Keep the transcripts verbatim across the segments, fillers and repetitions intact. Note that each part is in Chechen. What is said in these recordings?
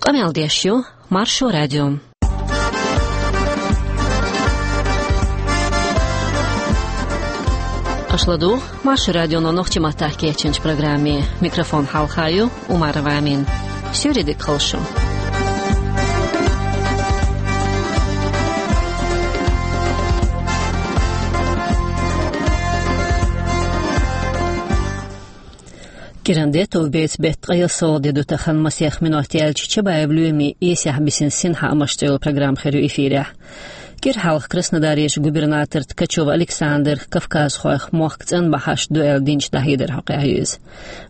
Къамел деш ю Маршо радио. Аша ладугӀу Маршо радионо нохчийн маттахь кечйинчу программе. Микрофон хьалха ю Умарова Амина. Суьйре дика хуьлда шун. КӀиранде товбеца беттан ткъе ялсалгӀа де ду тахана, масех минот яьлча Чабаев Лоьмин «Эсехь бисина синхаамаш» цӀе йолу программа хир ю эфирехь. КӀира хьалха Краснодарерчу губернатора Ткачев Александра кавказхойх мохк цӀанбахьаш ду аьлла динчу дӀахьедархьама къахьоьгу иза.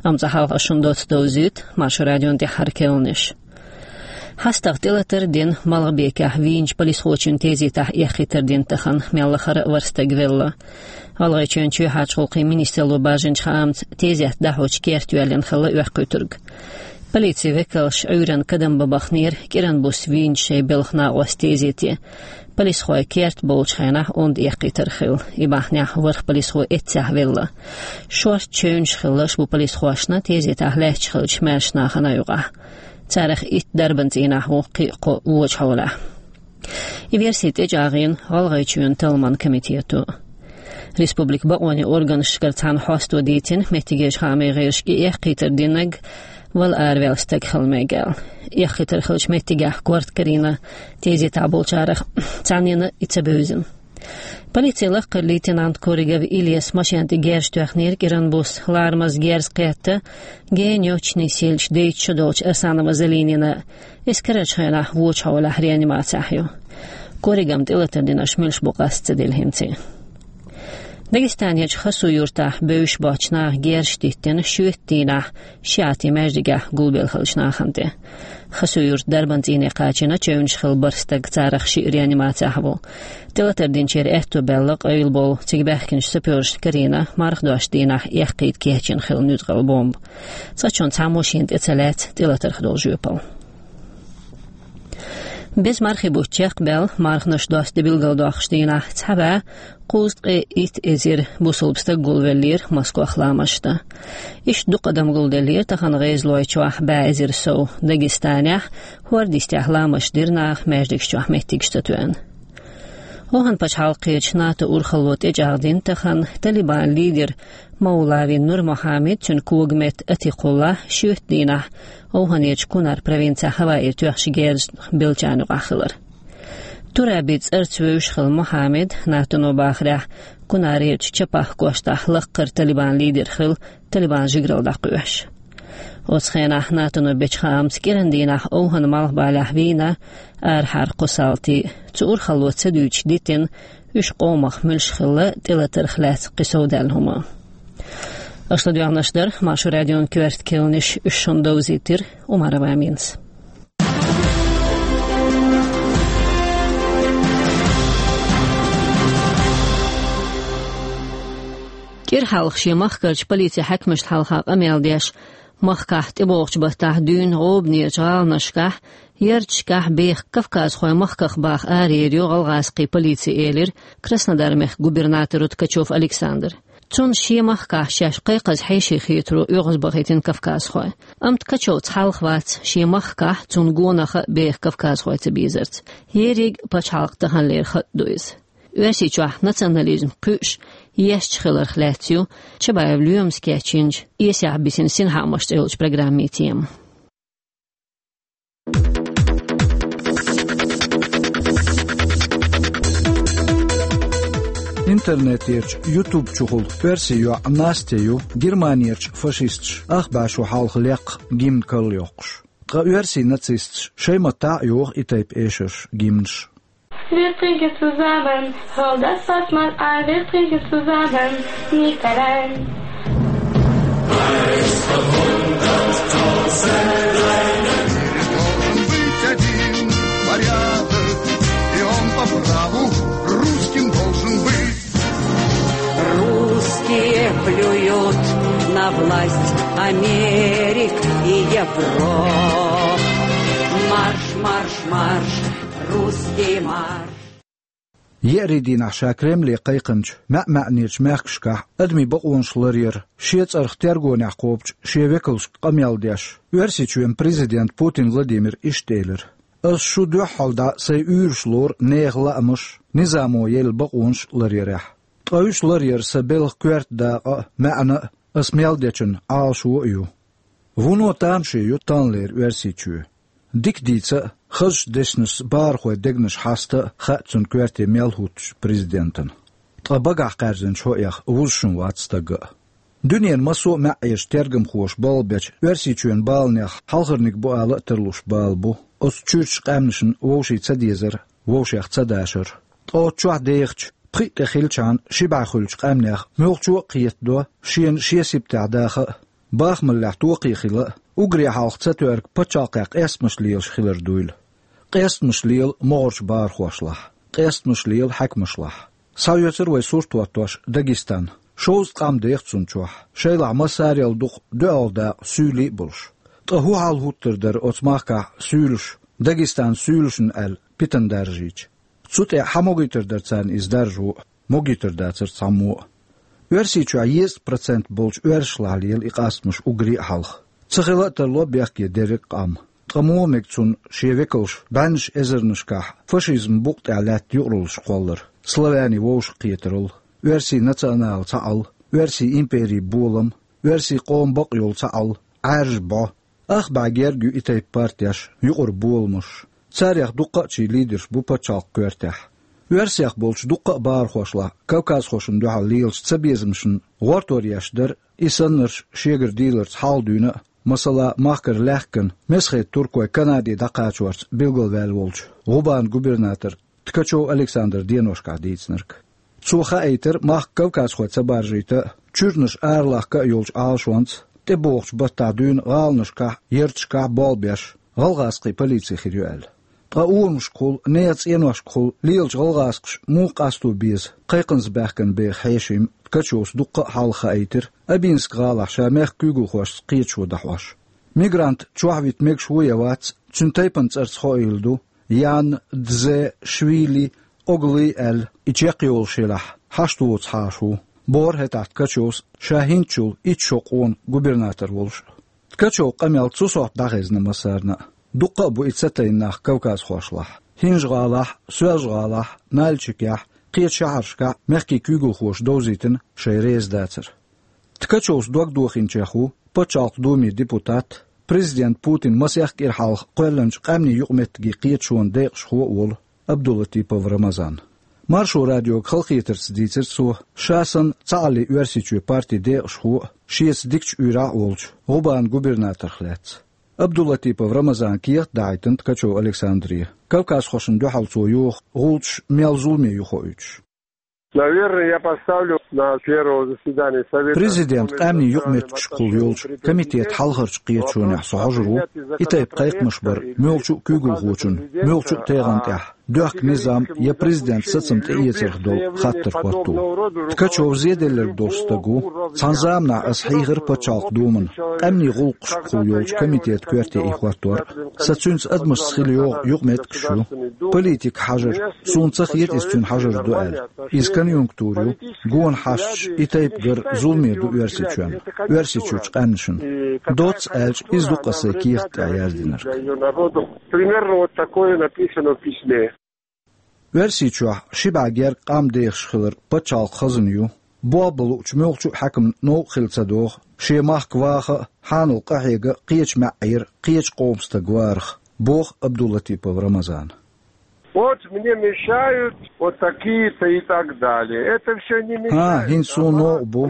Амма цкъа хьалха шуна доцца довзуьйту Маршо радион тӀаьххьара кхаьънаш. ХьастагӀа тӀелатар а дина, Малхбекехь вийначу полисхочун тезетахь эккхийтар дина тахана, мел лахара а ворхӀ стаг велла. ГӀалгӀайчоьнан чоьхьарчу гӀуллакхийн министралло бажинчу хаамца, тезет дӀахьочу керта йоьллина хилла оьккхуьйтург. Полицин векалша Ӏуьйранна кадам бан бахнера кӀиран буса вийначу шайн белхан накъостийн тезете. Полисхой керта болчу хенахь онда эккхийтар хилла. И бахьанехь ворхӀ полисхо эццехь велла. Шортта чевнаш хилла аша бу полисхошна тезетахь лаьтташ хиллачу маьршачу нахана юкъахь. Царах итт дарбан цӀийнахь ву, кхин а кхо вочу хьолехь. И верси тӀечӀагӀйина ГӀалгӀайчоьнан талламан комитето. Республикан бакъонийн органашкара цхьаьна хьосто дийцина, меттигерчу хаамийн гӀирсашка и эккхийтар динарг вала араваьлла стаг хила мега аьлла. Эккхийтар хиллачу меттигехь корта карийна тезетахь болчарах цхьаннена и ца бевзина. Полицин лакхара лейтенант Коригов Ильяс машен тӀе герз тоьхнера кӀиран буса, ларамаза герз кхетта, генна йоцчу нийсса йиллича дейтта шо долчу Арсанова Залинина. Иза карарчу хенахь вочу хьолехь реанимацехь ю. Коригам тӀелатар динарш муьлш бу къаста ца делла хӀинца. Дагестанерчу Хасу-Юртахь бевзаш боцчу наха герзаш диттина шоьтан дийнахь шиӀатийн маьждигехь гулбелла хиллачу нахана тӀе. Хасу-Юрт дарбан цӀийне кхачийна чевнаш хилла бархӀ стаг, царах шиъ реанимацехь ву. ТӀелатар динчеран аьтто баьлла къайлаболу, цига баьхкинчу сапёрашна карийна марха дошучу дийнахь эккхийта кечйина хилла нуьцкъала бомба. Цкъачунна цхьаммо шена тӀе ца лаьцна тӀелатарх долу жоьпалла. Беза мархи бутт чекхбаьлла, марханаш досту де билгалдоккхуш дийнахь цхьа бӀе кхузткъе итт эзар бусалба стаг гулвеллера Москвахь ламазаш дан. Иштта дукха адам гулделлера тахана гӀезалойчохь бӀе эзар сов Дагестанехь, хӀорда йистехь ламазаш дира наха маьждигаш чохь меттигаш ца тоьъна. ОвхӀан пачхьалкхерчу НАТО урхалло тӀечӀагӀдина тахана Талибан лидер Мавлави Нур Мохьаммед, цуьнан когаметта Атикъулла шоьтан дийнахь ОвхӀанерчу Кунар провинцехь хӀаваэра тоьхначу герзашна беллачарна юкъахь хилар. Тураби цӀарца вевзаш хилла Мохьаммед, НАТО-но бахарехь, Кунарерчу Чапах кӀоштахь лаккхара Талибан лидер хилла, Талибан жигаралла дӀакхоьхьуш. Оцу хенахь НАТО-но бечу хаамца кӀиран дийнахь ОвхӀан малхбалехь вийна арахьара кхо салти. Цу урхалло ца дуьйцуш дитина, уьш къомах муьлш хилла тӀелатарх лаьцна кхин совдаьлла хӀума. Аша ладоьгӀнарш дара Маршо радион коьрта кхаьънаш, уьш шуна довзийтира Умарова Аминас. КӀира хьалха шен махкарчу полицин хьаькамашна хьалха къамел деш, махкахь тӀебогӀучу баттахь дуьйна гӀобанерчу гӀаланашкахь, ярташкахь беха кавказхой махках баха арайийр ю гӀалгӀазкхийн полици, элира Краснодар-мехкан губернаторо Ткачев Александра. Цунна шен махкахь шаьш кхайкхаза хьеший хетаро оьгӀазбахийтина кавказхой. Амма Ткачевца хьалха вац шен махкахь цунна гонах а беха кавказхой ца безарца. Ерриг а пачхьалкхан таханлера хатӀ ду иза. Оьрсийчохь национализм кхуьуш, ешча хиларх лаьцна ю Чабаев Лоьмас кечйинчу «Эсехь бисина синхаамаш» цӀе йолчу программин тема. Интернетерчу YouTube чухула оьрсийн йоӀ Настя ю Германерчу фашисташа ах бӀе шо хьалха лекха гимн карла йоккхуш. Ткъа оьрсийн нацисташа шайн маттахь а йоху и тайпа эшарш, гимнаш. Wir trinken zusammen, hol das Fass mal ein, wir trinken zusammen, nicht allein. Должен быть один порядок, и он по праву русским должен быть. Русские плюют на власть Америк и Европ. Марш, марш, марш, русский марш. Еарий дийнахь ша Кремле кхайкхинчу маьӀ-маьӀнерчу мехкашкахь адамийн бакъонаш ларъяр, шен цӀарах тергонехь кхобучу шен векалшка къамел деш, Оьрсийчоьнан президент Путин Владимира иштта элира: «Ас шу дуьххьал дӀа сайн уьйраш лору нехан лаамаш, низамо елла бакъонаш ларъярехь. Ткъа уьш ларъяр сан белхан коьрта дакъа а, маьӀна а, ас мел дечун Ӏалашо а ю». Вуно тамаше ю таханлера Оьрсийчоь. Дика дийца а, хазачу дешнашца бахархойн дегнаш хьаста а хаьа цунна коьрте мел хӀуттучу президентана. Ткъа багахь кхаьрзинчу хӀоьх вузуш вац стаг а. Дуьненан массо а маьӀӀерчу тергамхоша болх бечу Оьрсийчоьнан баланех хьалхарниг бу ала а тарлуш бала бу оцу чуьрачу къаьмнашна вовшийн ца дезар, вовшех ца дашар. Ткъа оцу чохь дехачу, пхиъ тӀе хилчхьана ши бӀе хуьлучу къаьмнех муьлххачо а кхетадо шена шен сибатехь даха а, бахамаллехь токхе хила а, уггаре хьалха ца тоьрга пачхьалкхехь къестамаш лелаш хилар дуйла. Къестамаш лела могӀарчу бахархошлахь, къестамаш лела хьаькамашлахь. Схьаоьцура вай сурт хӀоттош Дагестан. Шовзткъа къам деха цунна чохь, шайлахь массарел дукха доьалгӀа дакъа, суьйлий а болуш. Ткъа хӀун хьал хӀуттур дара оцу махкахь суьйлаш, Дагестанан суьйлашна аьлла, питана даржийча? Цу тӀе хьан могуьйтур дара царна иза даржо а? Могуьйтур дацара цхьаммо а. Оьрсийчохь дезткъа процент болчу оьрсашлахь лела и къастамаш уггаре а хьалха. Ца хила а тарло бехке дерриг а къам. Ткъа муха мега цунна шен векалш бӀеннаш эзарнашкахь фашизман букъа тӀехь лаьтта юкъараллаш кхоллар, славянийн вовшахкхетаралла, оьрсийн национал цхьаалла, оьрсийн империн болам, оьрсийн къоман бакъ йолу цхьаалла, Ӏаьржа бӀо? Ах бӀе герга ю и тайпа партеш, юкъара боламаш. Царех дуккха а чий лидерш бу пачхьалкхан коьртехь. Оьрсех болчу дуккха а бахархошлахь кавказхошна дуьхьал лелачу цабезамашна гӀортор еш дара и саннарш шегара дийларца хьалха дуьйна а, масала, махкара лаьхкина, Месхетан туркой Канаде дӀакхачорца билгалваьлла волчу ГӀубанан губернатор Ткачев Александра деношкахь дийцинарг. Цо хаийтира махка кавказхой ца баржийта а, чуьранаш аралахка а йолчу Ӏалашонца, тӀебогӀучу баттахь дуьйна гӀаланашкахь, ярташкахь болх беш, гӀалгӀазкхийн полици хир ю аьлла. Ткъа урамашкахула, нехан цӀеношкахула лелачу гӀалгӀазкхаша муха къасто беза кхайкхамца баьхкина беха хьешим? Ткачевс дуккха а хьалха хаийтира Абинск-гӀалахь ша мехкан куьйгалхошца кхеташо дӀахьош. Мигрант чохь вита мегаш ву я вац, цуьнан тайпанан цӀарца хоийла ду, Ян Дзешвили Оглы аьлла, и чекхйолуш елахь, хьашт воцу хьаша ву, бохура хӀетахь Ткачевс, ша хӀинцачул итт шо къона губернатор волуш а. Ткачевн къамел цу сохьта дӀахезна массарна а. Дуккха а бу и ца тайна нах кавказхошлахь. ХӀинжа-ГӀалахь, Соьлжа-ГӀалахь, Нальчикехь, кхечу шахьаршкахь мехкийн куьйгалхоша довзийтина шайн реза дацар. Ткачевс дог дохийначех ву Пачхьалкхан Думин депутат, президент Путин масех кӀира хьалха кхоьллинчу къаьмнийн юкъаметтигийн кхеташонан декъашхо а волу Абдулатипов Рамазан. Маршо радиога халахетарца дийцира цо ша санна цхьааллин Оьрсийчоь партин декъашхо а, шеца дикачу уьйрахь а волчу ГӀубанан губернаторх лаьцна. Абдулатипов Рамазана кехат дахьийтина Ткачев Александре, кавказхошна дуьхьал цо йоху гӀулчаш мел зуламе ю хоуьйтуш. Наверное, я поставлю на первое заседание Совета... Президент къаьмнийн юкъаметтигашкахула йолчу комитетан хьалхарчу кхеташонехь со хьожур ву, и тайпа кхайкхамаш бар муьлххачу а куьйгалхочун, муьлххачу а тӀегӀан тӀехь, доьхку низам я президент сацам тӀеэцарх долу хаттар хӀотто. Ткачев зеделларг долуш стаг ву. Цхьана заманахь ас хьийхира Пачхьалкхан Думана, къаьмнийн гӀуллакхашкахула йолчу комитетан коьрте и хӀоттор. Сан цуьнца адамашца хила йогӀу юкъаметтигаш ю. Политика хьажар, суна ца хета иза цуьнан хьажар ду аьлла. Иза конъюнктура ю, гонахьашташ и тайпа гар зуламе ду Оьрсийчоьнна, Оьрсийчуьрчу къаьмнашна. Доцца аьлча, иза ду-кх сан кехат тӀехь яздинарг. Примерно вот такое написано в письме. Оьрсийчохь ши бӀе гергга къам дехаш хилар пачхьалкхан хазна ю. Болх бан луучу муьлххачу а хьаькамна новкъа хила ца догӀу шен махка ваха а, хьанал къахьега а кхечу маьӀӀера, кхечу къоман стаг варах, боху Абдулатипов Рамазана. Вот мне мешают вот такие-то и так далее. Это всё не мешает. ХӀан, хӀинца суна новкъа бу.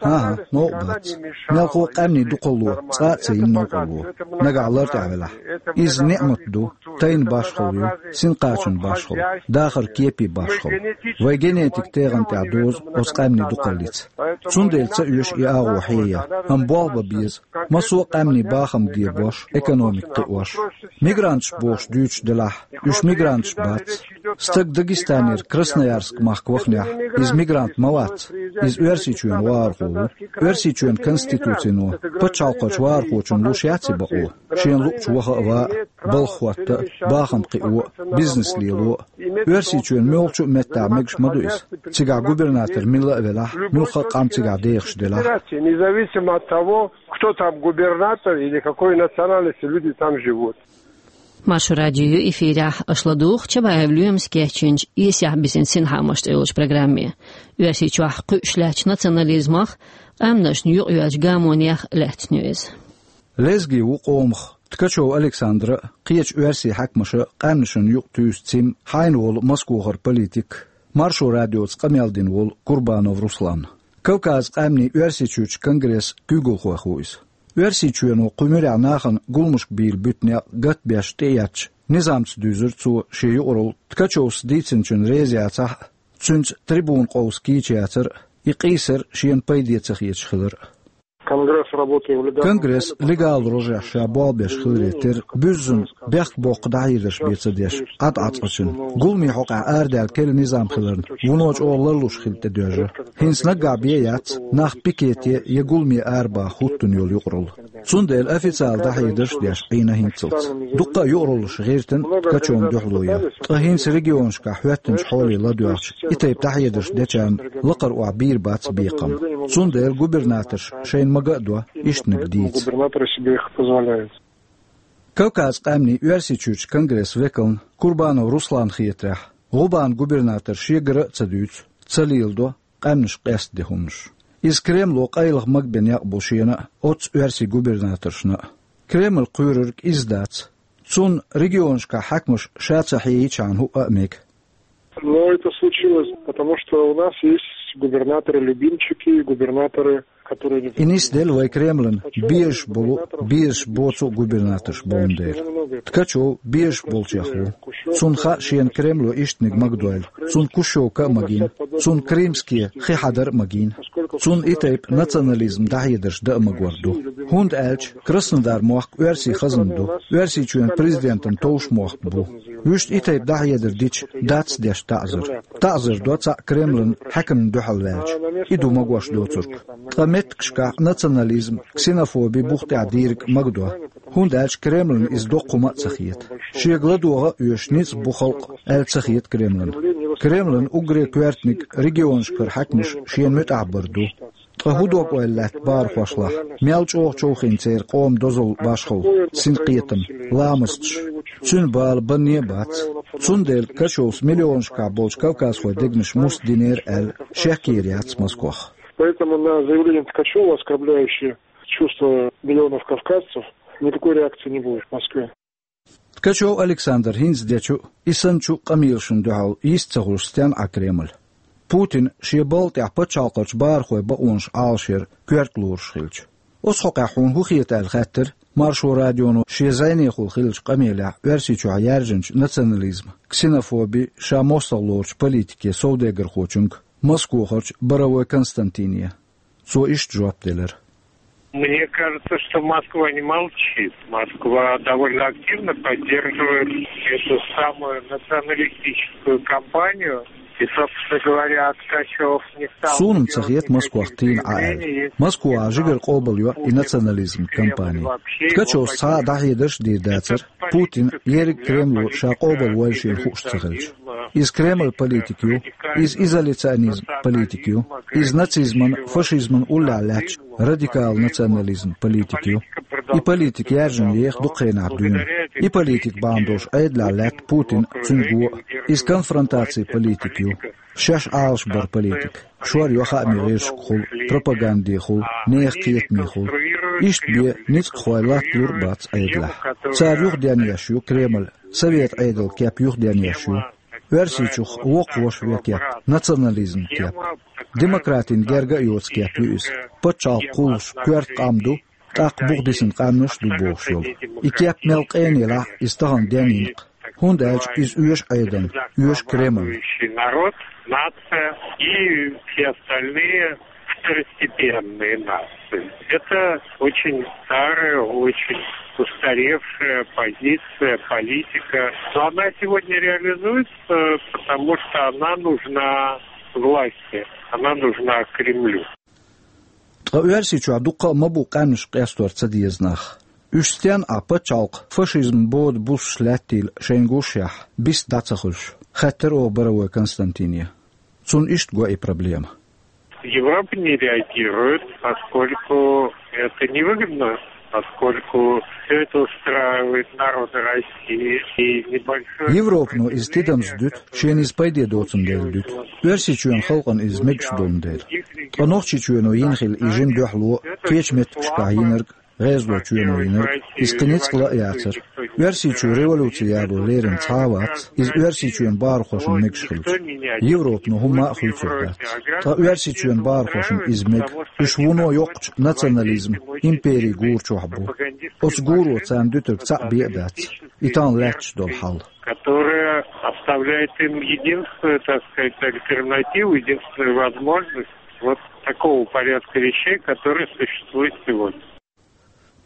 ХӀан-хӀа, новкъа бац. Мелхо а къаьмнийн дукхалло цкъа а ца йина новкъарло, нагахь лар тӀехь велахь. Иза ниӀмат ду, тайна башхалла ю, синкъачун башхалла, дахаран кепе башхалла. Вайн генетикан тегӀан тӀехь дозу оцу къаьмнийн дукхаллица. Цундела ца оьшу и агӀо хьеян, амма болх бан беза. Массо а къаьмнийн бахам дебош, экономика кхиош. Мигранташ бохуш дуьйцуш делахь, уьш мигранташ вац. Стаг Дагестанера Красноярск махка вахнехь, иза мигрант ма вац. Иза Оьрсийчоьнан вахархо ву. Оьрсийчоьнан конституцино пачхьалкхерчу вахархочунна луш яц и бакъо. Шена луъучу ваха а, ван а, балха хӀотта а, бахам кхио а, бизнес лело а. Оьрсийчоьнан муьлххачу а меттехь мегаш ма ду иза. Цигахь губернатор милла а велахь, муьлхха а къам цигахь дехаш делахь. Независимо от того, кто там губернатор или какой национальности люди там живут. Маршо радио ю эфирехь, аша ладугӀу Чабаев Лоьмас кечйинчу «Эсехь бисина синхаамаш» тӀе йолчу программе. Оьрсийчохь кхуьуш лаьттачу национализмах, къаьмнашна юкъайоьллачу гамонех лаьцна ю иза. Лезги ву къомах Ткачев Александра а, кхечу оьрсийн хьаькамаша а къаьмнашна юкъа туьйсу цӀим хьайна волу Москохара политик, Маршо радиоца къамел дина волу Курбанов Руслан. Кавказан къаьмнийн Оьрсийчуьрчу конгрессан куьйгалхойх ву иза. Оьрсийчоьно кху муьрехь нахана гуламашка бийр буьту некъ гатбеш тӀеэцначу низамца дуьзира цо шен юкъаралла, Ткачевс дийцинчунна реза яцахь а, цуьнца трибуна къовса кийча яцар а, и къийсар шена пайде ца хеташ хилар а. Конгресс работает в легальном... Конгресс легал рожехь ша болх беш хиларе терра, буьззина бехк боккху дӀахьедарш бен ца деш, Ӏад Ӏацкъачун. Гуламийн хьокъехь арадаьлла керла низам хиларна, вуно чӀогӀа ларлуш хила тӀедоьжна. ХӀинца наггахь бен а яц нах пикете я гуламе арабаха хӀуттун йолу юкъаралла. Цундела официалан дӀахьедарш а деш Ӏийна хӀинццалц. Дуккха а юкъараллаш гӀиртина Ткачевна дуьхьало ян. Ткъа хӀинца регионашкахь хӀоьттинчу хьоле ладоьгӀча, и тайпа дӀахьедарш дечарна лакхара охьа бийр бац бекхам. Цундела губернаторша шайна мага а до, иштаниг дийца. Губернаторы себе их позволяют. Кавказан къаьмнийн Оьрсийчуьрчу конгрессан векална Курбанов Русланна хетарехь, ГӀубанан губернатора шегара а ца дуьйцу, ца леладо, къаьмнаш къестаде хӀуманаш. Иза Кремло къайлаха магабен некъ бу шена а, оццу оьрсийн губернаторшна а. Кремль кхоьрург иза дац. Цунна регионашкахь хьаькамаш ша ца хьийчхьана хӀуъа а мега. Но это случилось, потому что у нас есть губернаторы-любимчики, губернаторы, которые не... И нисделла вай Кремлан безаш болу, безаш боцу а губернаторш болун дела. Ткачев безаш болчех ву. Цунна хаьа шена Кремло иштаниг магадойла. Цунна Кущевка а магийна, цунна Крымский хи хьадар а магийна. Цунна и тайпа национализм дӀахьедарш дан а магор ду. ХӀунда аьлча Краснодар мохк оьрсийн хазна ду, Оьрсийчоьнан президентан товш мохк бу. Вуьшта и тайпа дӀахьедар дича, дац деш таӀзар. ТаӀзар до цхьаъ Кремлан хьаькамна дуьхьал ваьлча. И ду магош доцург. Ткъа меттигашкахь национализм, ксенофоби бух тӀехь дийриг магадо. ХӀунда аьлча Кремлан иза доккха хӀума а ца хета. Шега ладогӀа а оьшуш ницкъ бу халкъ аьлла ца хета Кремлан. Кремлан уггаре коьртаниг регионашкара хьаькамаш шена муьтӀахь бар ду. Ткъа хӀун дог-ойла лаьтта бахархошлахь, мел чӀогӀа човхийна церан къоман дозалла, башхалла, синкхетам, ламасташ? Цуьнан бала банне а бац. Цундела Ткачевс миллионашкахь болчу кавказхойн дегнаш муст динера аьлла, шек йийр яц Москох. Поэтому на заявление Ткачева, оскорбляющее чувства миллионов кавказцев, никакой реакции не будет в Москве. Ткачев Александра хӀинца дечу а, и санначу а къамелашна дуьхьал йист ца хуьлуш стенна Ӏа Кремль? Путина шен балха тӀехь пачхьалкхерчу бахархойн бакъонаш Ӏалашъяр коьрта лоруш хилча. Оцу хьокъехь хьуна хӀун хета аьлла хаьттира Маршо радионо шен зӀенехула хиллачу къамелехь Оьрсийчохь яьржинчу национализм, ксенофоби ша мостагӀа лоручу политике совдегархочуьнга, Москохарчу Боровой Константине. Цо иштта жоп делира. Мне кажется, что Москва не молчит. Москва довольно активно поддерживает эту самую националистическую кампанию. И, собственно говоря, Ткачев не стал... Суна-м ца хета Москох тийна Ӏа аьлла. Москва жигара къобалйо и национализм кампани. Ткачевс цхьа а дӀахьедарш а дийр дацара, Путина ерриг Кремло ша къобалвойла шена хууш ца хилча. Иза Кремлан политика ю, иза изоляционизм политика ю, иза нацизман, фашизман уллехь лаьттачу радикал национализм политика ю. И политика яьржина еха дукха хенахь дуьйна. И политика бахьана долуш Ӏедалехь лаьтта Путин а, цуьнан го а. Иза конфронтацин политика ю. Шаьш Ӏалашбаран политика. Шор йо хаамийн гӀирсашкахула, пропагандехула, нехан кхетамехула. Иштта бен ницкъахой латталур а бац Ӏедалехь. Цара юхаденъеш ю Кремль, совет Ӏедалан кеп юхаденъеш ю. Оьрсийчух воккхавеш вен кеп, национализм кеп. Демократина герга а йоцу кеп ю иза. Пачхьалкх кхуллуш коьрта къам ду, тӀаккха бухадисина къаьмнаш а ду бохуш йолу. И кеп мел къена елахь а, иза тахана денйина-кх. ХӀунда аьлча иза оьшу Ӏедална, оьшу Кремлна. Народ, нация и все остальные в второстепенные нации. Это очень старая, очень устаревшая позиция, политика. Но она сегодня реализуется, потому что она нужна власти, она нужна Кремлю. Ткъа Оьрсийчохь дуккха а ма бу къаьмнаш къестор ца деза нах. Уьш стен а пачхьалкх фашизм бода бусаш лаьттийла шайн гуш яхь, бист дӀа ца хуьлуш, хаьттар оха Боровой Константине. Цунна иштта го и проблема. Европа не реагирует, поскольку это невыгодно, поскольку все это устраивает народы России и небольшое... Европано иза тидамца дуьту, шена иза пайде доцун дела дуьту. Оьрсийчоьнан халкъана иза мегаш долун дела. Ткъа Нохчийчоьно йина хила и жима дуьхьало, кечу меттигашкахь йинарг, гӀезалочоьно йинарг, иза кхин ницкъ ла а яцара. Оьрсийчоь революци яло лерина цхьа а вац, иза Оьрсийчоьнан бахархошна мегаш хилча. Европано хӀумма а хуьйцур дац. Ткъа Оьрсийчоьнан бахархошна иза мега. Уьш вуно йоккхачу национализм, импери гура чохь бу. Оцу гуро царна дуьтург цхьаъ бен а дац. И тахана лаьтташ долу хьал. Которая оставляет им единственную, так сказать, альтернативу, единственную возможность вот такого порядка вещей, который существует сегодня.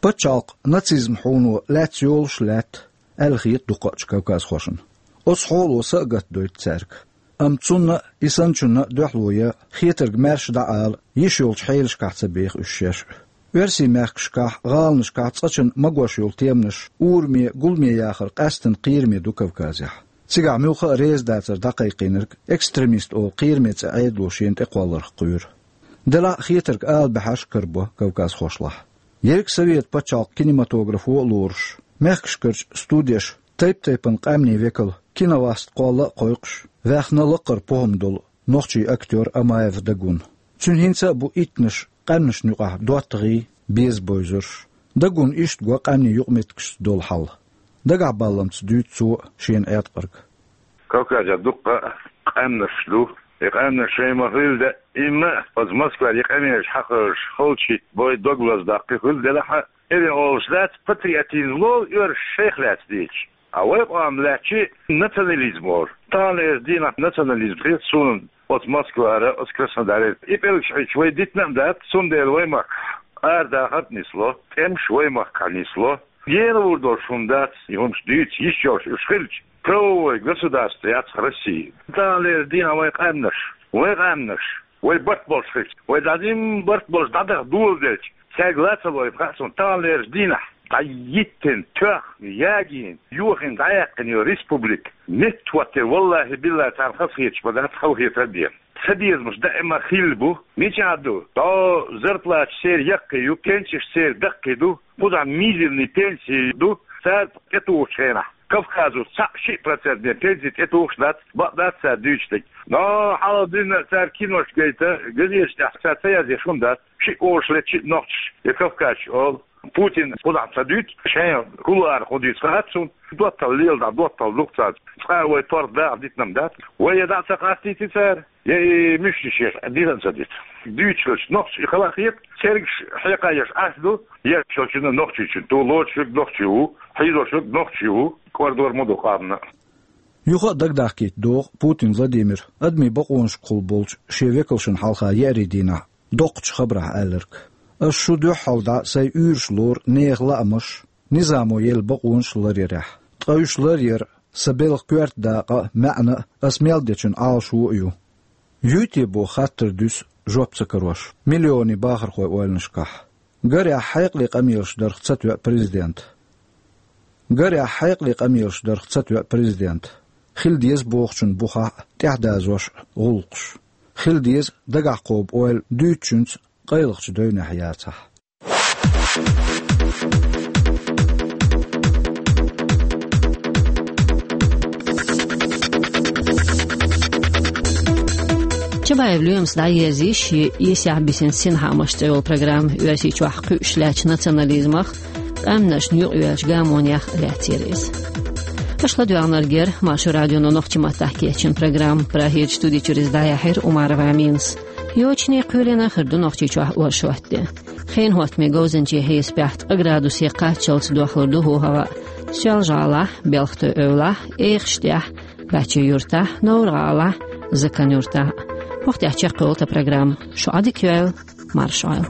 Пачхьалкх нацизм хьуно лаьцна йолуш а лаьтта, аьлла хета дукхачу кавказхошна. Оцу хьоло са а гатдойту цаьрга. Амма цунна а, и санначунна а дуьхьало ян, хетарг маьрша дӀа а ала, йиш йолчу хьелашкахь ца беха уьш шаьш а. Оьрсийн мехкашкахь, гӀаланашкахь цкъачунна магош йолу теманаш ураме, гуламе яхар къаьсттина кхераме ду Кавказехь. Цигахь муьлхха а реза дацар дӀакхайкхийнарг экстремист олу кхераме цӀе Ӏедало шена тӀекхолларх кхоьру. Делахь а хетарг ала баьхьаш карабо кавказхошлахь. Ерриг Совет пачхьалкх кинематографо а лоруш, мехкашкарчу студеш тайп-тайпана къаьмнийн векал киноваст кхолла а кхойкхуш, ваьхна лакхара похӀма долу нохчийн актёр Амаев Дагун. Цуьнан хӀинца а бу иттанаш къаьмнашна юкъахь доттагӀий, беза бовзарш. Дагуна иштта го къаьмнийн юкъаметтигашца долу хьал. Дагахь балламца дуьйцу цо шена Ӏеткъарг. Кавказехь дуккха а къаьмнаш ду. И къаьмнаш шайн ма хилла де, имма оцу Москвара и къамелаш хьахоьжуш, халчи бой дог лаздаккхи хилла делахь а, эвен олуш дац, патриотизм лолу оьрсаша шайх лаьцна дийцича. А вай къам лаьттачи национализм олу. Таханлерчу дийнахь национализм хета суна оцу Москвара, оцу Краснодаре. И пӀелгаш хьоьжуш вай дитина а дац, цундела вай махкахь арадахар а нисло, тӀемаш вай махкахь нисло. Гена вур долуш хӀума дац, и хӀумаш дуьйцу йиш йолуш уьш хилча, правовой государство яц-кх Россия. Таханлерчу дийнахь вайн къаьмнаш, вайн къаьмнаш, вай барт болуш хилча, вай дӀадин барт болуш дӀадаха доладелча, цаьрга ла ца лойла хаьа суна таханлерчу дийнахь, дӀайиттина, тоьхна, ягийна, йохийна, дӀаяьккхина йолу республика, меттахӀоттийна, валлахӀи-биллахӀи, царна хазахеташ ма дац, халахетар а дена. Цабезамаш даима хилла бу. Мичахь ду? ДӀо зарплаташ церан яккхий ю, пенсеш церан даккхий ду, кхузахь мизерный пенсии ду, цара тӀетухучу хенахь Кавказо цхьаъ шиъ процент бен пенси тӀетухуш дац, бакъ дац цара дуьйцуш дерг. Но хьалха дина цара кинош гайта, газеташ тӀехь цара ца язъеш хӀума дац, шиъ олуш лаьа, шиъ нохчаш я кавказчаш олу. Путин кхузахь ца дуьйцу, шайн кулуарах хӀун дуьйцу хаьа суна, доттагӀал леладахь, доттагӀал ду-кх царна. Цкъа а вай торгӀа даха дитина дац. Вай я дӀа а ца къастийти цара, я и муьшнаш еш дитина ца дита. Дуьйцуш хилча нохчий хала а хета, цергаш хьекха еш Ӏаш ду, еш йолчунна нохчийчун ту, лоцуш верг нохчи ву, хьийзош верг нохчи ву, кӀордор ма ду къамна. Юха а дагадахкийта догӀу Путин Владимира адамийн бакъонашкахула болчу шен векалшна хьалха еарин дийнахь доккхачу хабарехь аьлларг. Ас шу дуьххьал дӀа сайн уьйраш лору нехан лаамаш, низамо елла бакъонаш ларъярехь. Ткъа уьш ларъяр сан белхан коьрта дакъа а, маьӀна а, ас мел дечун Ӏалашо а ю. Юй те боху хаттар дуьсу жоп ца карош миллионийн бахархойн ойланашкахь. Гарехь, хьекъале къамелаш дарх ца тоьа президент. Гарехь, хьекъале къамелаш дарх ца тоьа президент. Хила деза бохучун бухахь а тӀаьхьадазош а гӀуллакхаш. Хила деза дагахь кхобу ойла дуьйцучуьнца къайлахчу девнехь яцахь. Чабаев Лоьмас дӀаерзийша шен «Эсехь бисина синхаамаш» цӀе йолу программа. Оьрсийчохь кхуьуш лаьттачу национализмах, къаьмнашна юкъайоьллачу гамонех лаьцна яра иза. Аша ладоьгӀнарг яра Маршо радионо нохчийн маттахь кечйина программа. Прагерчу студи чуьра иза дӀаяьхьира Умарова Аминас. Йочане кхоьлина хир ду Нохчийчохь оршот де. Хенан хӀоттаме говзанчийн хьесапехь ткъа градусе кхаччалц дохлур ду хӀаваъ Соьлжа-ГӀалахь, Белхатуй-Эвлахь, Эхаштехь, Гачи-Юьртахь, Новр-ГӀалахь, Закан-Юьртахь. ХӀокху тӀехь чекхйолу тхан программа. Шу Ӏадика йойла. Maršal.